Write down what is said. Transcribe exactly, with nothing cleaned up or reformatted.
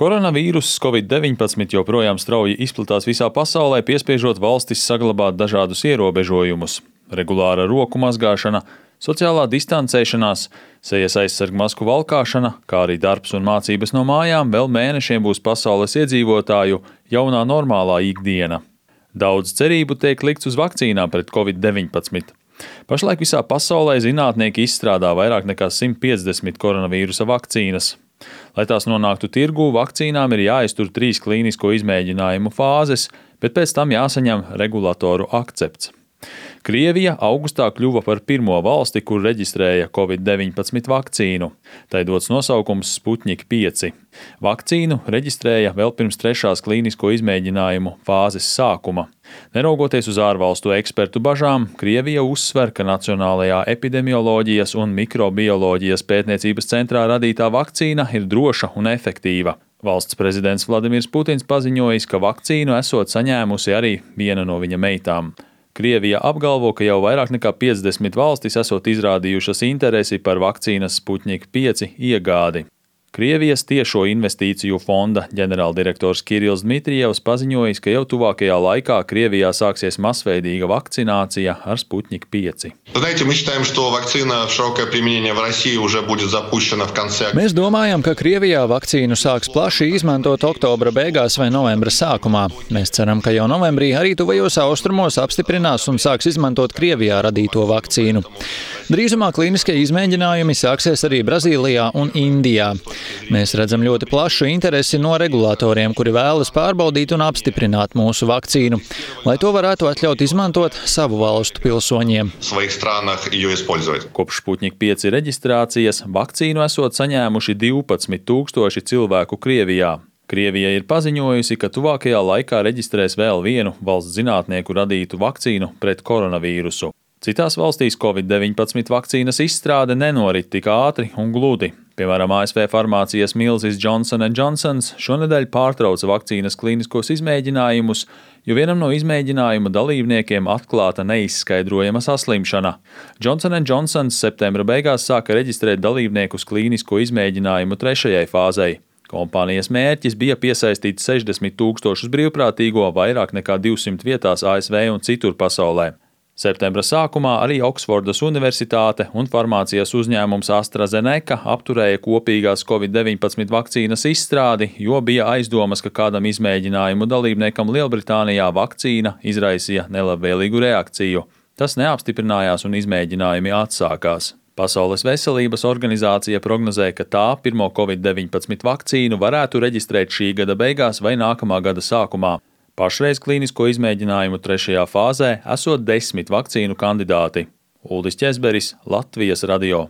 Koronavīruss covid deviņpadsmit joprojām strauji izplatās visā pasaulē, piespiežot valstis saglabāt dažādus ierobežojumus. Regulāra roku mazgāšana, sociālā distancēšanās, sejas aizsargu masku valkāšana, kā arī darbs un mācības no mājām vēl mēnešiem būs pasaules iedzīvotāju jaunā normālā ikdiena. Daudz cerību tiek likts uz vakcīnām pret covid deviņpadsmit. Pašlaik visā pasaulē zinātnieki izstrādā vairāk nekā simt piecdesmit koronavīrusa vakcīnas. Lai tās nonāktu tirgū, vakcīnām ir jāiztur trīs klīnisko izmēģinājumu fāzes, bet pēc tam jāsaņem regulatoru akcepts. Krievija augustā kļuva par pirmo valsti, kur reģistrēja covid deviņpadsmit vakcīnu. Tai dots nosaukums Sputnik pieci. Vakcīnu reģistrēja vēl pirms trešās klīnisko izmēģinājumu fāzes sākuma. Neraugoties uz ārvalstu ekspertu bažām, Krievija uzsver, ka Nacionālajā epidemioloģijas un mikrobioloģijas pētniecības centrā radītā vakcīna ir droša un efektīva. Valsts prezidents Vladimirs Putins paziņojis, ka vakcīnu esot saņēmusi arī viena no viņa meitām. Krievija apgalvo, ka jau vairāk nekā piecdesmit valstis esot izrādījušas interesi par vakcīnas Sputnik pieci iegādi. Krievijas tiešo investīciju fonda ģenerāldirektors Kirills Dmitrijevs paziņojis, ka jau tuvākajā laikā Krievijā sāksies masveidīga vakcinācija ar Sputnik pieci. Mēs domājam, ka Krievijā vakcīnu sāks plaši izmantot oktobra beigās vai novembra sākumā. Mēs ceram, ka jau novembrī arī tuvajos austrumos apstiprinās un sāks izmantot Krievijā radīto vakcīnu. Drīzumā klīniskie izmēģinājumi sāksies arī Brazīlijā un Indijā. Mēs redzam ļoti plašu interesi no regulātoriem, kuri vēlas pārbaudīt un apstiprināt mūsu vakcīnu, lai to varētu atļaut izmantot savu valstu pilsoņiem. Kopš Sputnik pieci reģistrācijas vakcīnu esot saņēmuši divpadsmit tūkstoši cilvēku Krievijā. Krievija ir paziņojusi, ka tuvākajā laikā reģistrēs vēl vienu valsts zinātnieku radītu vakcīnu pret koronavīrusu. Citās valstīs covid deviņpadsmit vakcīnas izstrāde nenorit tik ātri un gludi. Piemēram, A S V farmācijas milzis Johnson and Johnson šonedēļ pārtrauca vakcīnas klīniskos izmēģinājumus, jo vienam no izmēģinājuma dalībniekiem atklāta neizskaidrojama saslimšana. Johnson and Johnson septembra beigās sāka reģistrēt dalībniekus klīnisko izmēģinājumu trešajai fāzei. Kompānijas mērķis bija piesaistīt sešdesmit tūkstošus brīvprātīgo vairāk nekā divsimt vietās A S V un citur pasaulē. Septembra sākumā arī Oksfordas Universitāte un farmācijas uzņēmums AstraZeneca apturēja kopīgās covid deviņpadsmit vakcīnas izstrādi, jo bija aizdomas, ka kādam izmēģinājumu dalībniekam Lielbritānijā vakcīna izraisīja nelabvēlīgu reakciju. Tas neapstiprinājās un izmēģinājumi atsākās. Pasaules veselības organizācija prognozē, ka tā pirmo covid deviņpadsmit vakcīnu varētu reģistrēt šī gada beigās vai nākamā gada sākumā. Pašreiz klīnisko izmēģinājumu trešajā fāzē esot desmit vakcīnu kandidāti. Uldis Ķezberis, Latvijas radio.